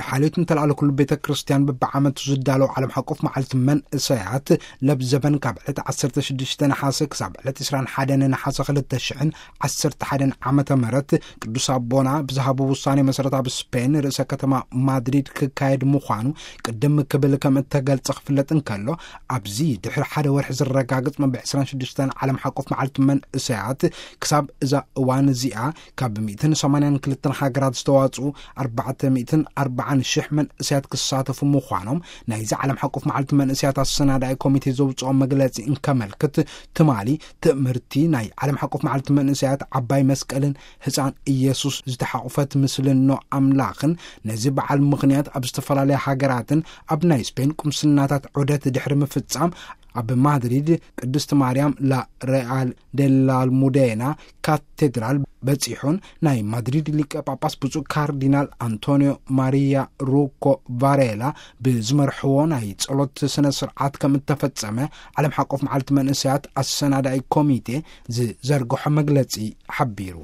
ሓልዮት እንተለኣለ ኩሉ ቤተ ክርስቲያን በብዓመቱ ዝዳለው ዓለም ሓቆፍ መዓልቲ መንእሰያት ለብዘበን ካብ ዕለት ዓሰርተ ሽዱሽተ ነሓሰ ክሳብ ዕለት ዕስራን ሓደን ነሓሰ ክልተ ሽሕን ዓሰርተ ሓደን ዓመተ ምህረት ቅዱስ ኣቦና ብዝሃቡ ውሳኔ መሰረት ኣብ ስፔን ርእሰ ከተማ ማድሪድ ክካየድ ምዃኑ ቅድም ክብል ከም እተገልጸ ክፍለጥ እንከሎ፣ ኣብዚ ድሕሪ ሓደ ወርሒ ዝረጋግጽ መበል ዕስራን ሽዱሽተን ዓለም ሓቆፍ መዓልቲ መንእሰያት ክሳብ እዛ እዋን እዚኣ ካብ ሚእትን ሰማንያን ክልተን ሃገራት ዝተዋጽኡ ኣርባዕተ ሚእትን ኣርባዓን ሽሕ መንእሰያት ክሳተፉ ምዃኖም ናይዚ ዓለም ሓቆፍ መዓልቲ መንእሰያት ኣሰናዳኢ ኮሚቴ ዘውጽኦ መግለጺ እንከመልክት፣ ትማሊ ትምህርቲ ናይ ዓለም ሓቆፍ መዓልቲ መንእሰያት ዓባይ መስቀልን ህፃን ኢየሱስ ዝተሓቑፈት ምስልን ኖ ኣምላኽን ነዚ በዓል ምኽንያት ኣብ ዝተፈላለያ ሃገራትን ኣብ ናይ ስፔን ቁምስናታት ዑደት ድሕሪ ምፍጻም ኣብ ማድሪድ ቅድስት ማርያም ላ ሬያል ዴላልሙዴና ካቴድራል በጺሑን ናይ ማድሪድ ሊቀ ጳጳስ ብፁዕ ካርዲናል ኣንቶኒዮ ማሪያ ሩኮ ቫሬላ ብዝመርሕዎ ናይ ጸሎት ስነ ስርዓት ከም እተፈጸመ ዓለም ሓቆፍ መዓልቲ መንእሰያት ኣሰናዳኢ ኮሚቴ ዝዘርግሖ መግለጺ ሓቢሩ።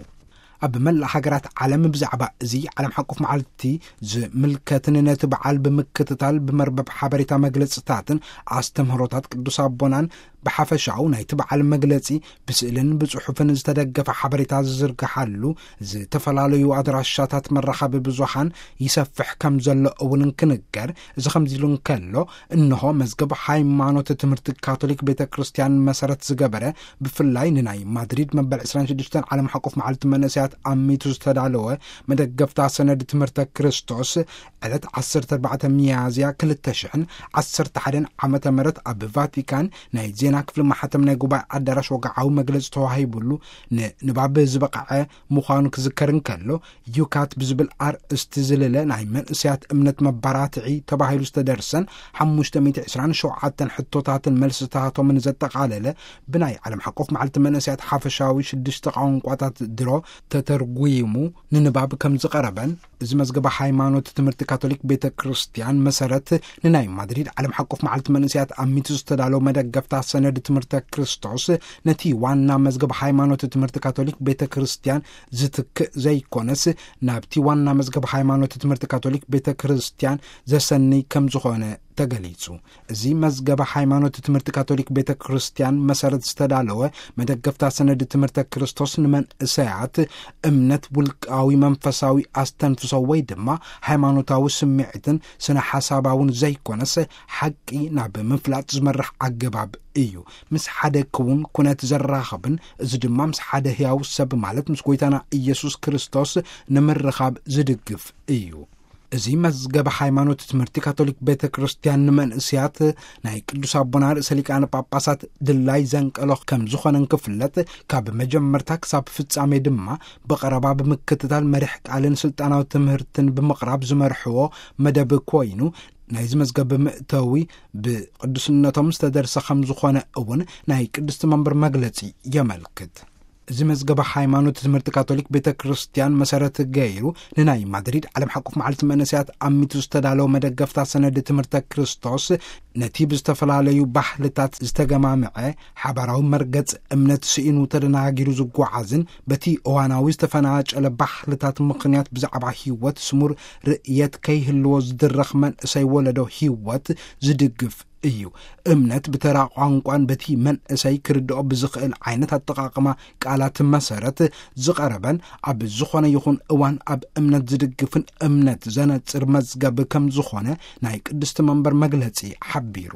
ኣብ መላእ ሃገራት ዓለም ብዛዕባ እዚ ዓለም ሓቆፍ መዓልቲ ዝምልከትን ነቲ በዓል ብምክትታል ብመርበብ ሓበሬታ መግለጽታትን ኣስተምህሮታት ቅዱስ ኣቦናን ብሓፈሻኡ ናይቲ በዓል መግለጺ ብስእልን ብጽሑፍን ዝተደገፈ ሓበሬታ ዝዝርግሓሉ ዝተፈላለዩ ኣድራሻታት መራኸቢ ብዙሃን ይሰፍሕ ከም ዘሎ እውን እንክንገር፣ እዚ ከምዚ ኢሉ እንከሎ፣ እንሆ መዝገብ ሃይማኖት ትምህርቲ ካቶሊክ ቤተ ክርስቲያን መሰረት ዝገበረ ብፍላይ ንናይ ማድሪድ መበል ዕስራን ሽዱሽተን ዓለም ሓቆፍ መዓልቲ መንእሰያት ኣሚቱ ዝተዳለወ መደገፍታ ሰነድ ትምህርተ ክርስቶስ ዕለት ዓሰርተ ኣርባዕተ ሚያዝያ ክልተ ሽሕን ዓሰርተ ሓደን ዓመተ ምህረት ኣብ ቫቲካን ናይ ዜና ክፍሊ ማሕተም ናይ ጉባኤ ኣዳራሽ ወግዓዊ መግለጺ ተዋሂቡሉ ንንባብ ዝበቕዐ ምዃኑ ክዝከር እንከሎ፣ ዩካት ብዝብል ኣርእስቲ ዝልለ ናይ መንእሰያት እምነት መባራትዒ ተባሂሉ ዝተደርሰን ሓሙሽተ ሚእቲ ዕስራን ሸውዓተን ሕቶታትን መልስታቶምን ዘጠቓለለ ብናይ ዓለም ሓቆፍ መዓልቲ መንእሰያት ሓፈሻዊ ሽዱሽተ ቋንቋታት ድሮ ተተርጉሙ ንንባብ ከም ዝቐረበን፣ እዚ መዝገበ ሃይማኖት ትምህርቲ ካቶሊክ ቤተ ክርስቲያን መሰረት ንናይ ማድሪድ ዓለም ሓቆፍ መዓልቲ መንእሰያት ኣሚቱ ዝተዳለወ መደገፍታ ሰነድ ትምህርተ ክርስቶስ ነቲ ዋና መዝገብ ሃይማኖት ትምህርቲ ካቶሊክ ቤተ ክርስቲያን ዝትክእ ዘይኮነስ፣ ናብቲ ዋና መዝገብ ሃይማኖት ትምህርቲ ካቶሊክ ቤተ ክርስቲያን ዘሰንይ ከም ዝኾነ ተገሊጹ። እዚ መዝገበ ሃይማኖት ትምህርቲ ካቶሊክ ቤተ ክርስቲያን መሰረት ዝተዳለወ መደገፍታ ሰነድ ትምህርተ ክርስቶስ ንመንእሰያት እምነት ውልቃዊ መንፈሳዊ ኣስተንፍሶ ወይ ድማ ሃይማኖታዊ ስምዒትን ስነ ሓሳባውን ዘይኮነስ፣ ሓቂ ናብ ምፍላጥ ዝመርሕ ኣገባብ እዩ። ምስ ሓደ ክውን ኩነት ዘራኽብን፣ እዚ ድማ ምስ ሓደ ህያው ሰብ ማለት ምስ ጎይታና ኢየሱስ ክርስቶስ ንምርኻብ ዝድግፍ እዩ። እዚ መዝገበ ሃይማኖት ትምህርቲ ካቶሊክ ቤተ ክርስቲያን ንመንእስያት ናይ ቅዱስ ኣቦና ርእሰ ሊቃነ ጳጳሳት ድላይ ዘንቀሎ ከም ዝኾነ እንክፍለጥ፣ ካብ መጀመርታ ክሳብ ፍጻሜ ድማ ብቐረባ ብምክትታል መሪሕ ቃልን ስልጣናዊ ትምህርትን ብምቕራብ ዝመርሕዎ መደብ ኮይኑ፣ ናይዚ መዝገብ መእተዊ ብቅዱስነቶም ዝተደርሰ ከም ዝኾነ እውን ናይ ቅድስቲ መንበር መግለጺ የመልክት። እዚ መዝገበ ሃይማኖት ትምህርቲ ካቶሊክ ቤተ ክርስቲያን መሰረት ገይሩ ንናይ ማድሪድ ዓለም ሓቆፍ መዓልቲ መንእሰያት ኣሚቱ ዝተዳለወ መደገፍታ ሰነድ ትምህርተ ክርስቶስ፣ ነቲ ብዝተፈላለዩ ባህልታት ዝተገማምዐ ሓባራዊ መርገጽ እምነት ስኢኑ ተደናጊሩ ዝጓዓዝን በቲ እዋናዊ ዝተፈናጨለ ባህልታት ምኽንያት ብዛዕባ ህይወት ስሙር ርእየት ከይህልዎ ዝድረኽ መንእሰይ ወለዶ ህይወት ዝድግፍ እዩ። እምነት ብተራ ቋንቋን በቲ መንእሰይ ክርድኦ ብዝኽእል ዓይነት ኣጠቓቕማ ቃላት መሰረት ዝቐረበን ኣብ ዝኾነ ይኹን እዋን ኣብ እምነት ዝድግፍን እምነት ዘነጽር መዝገብ ከም ዝኾነ ናይ ቅድስቲ መንበር መግለጺ ሓቢሩ።